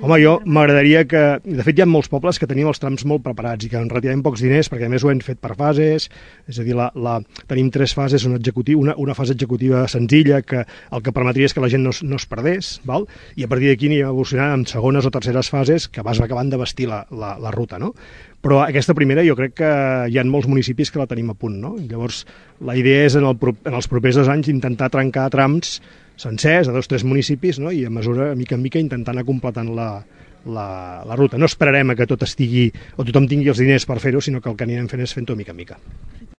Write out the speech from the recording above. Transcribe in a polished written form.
Home, jo m'agradaria que... De fet, hi ha molts pobles que tenim els trams molt preparats i que en relativament pocs diners, perquè a més ho hem fet per fases, és a dir, tenim 3 fases, una fase executiva senzilla que el que permetria és que la gent no es perdés, val? I a partir d'aquí anirem evolucionant en segones o terceres fases que vas acabant de vestir la ruta, no? Però aquesta primera jo crec que hi ha molts municipis que la tenim a punt, no? I llavors la idea és en els propers 2 anys intentar trencar trams sencers a 2 o 3 municipis, no? I a mesura, mica en mica, intentar anar completant la ruta. No esperarem a que tot estigui o tothom tingui els diners per fer-ho, sinó que el que anirem fent és fent-ho mica en mica.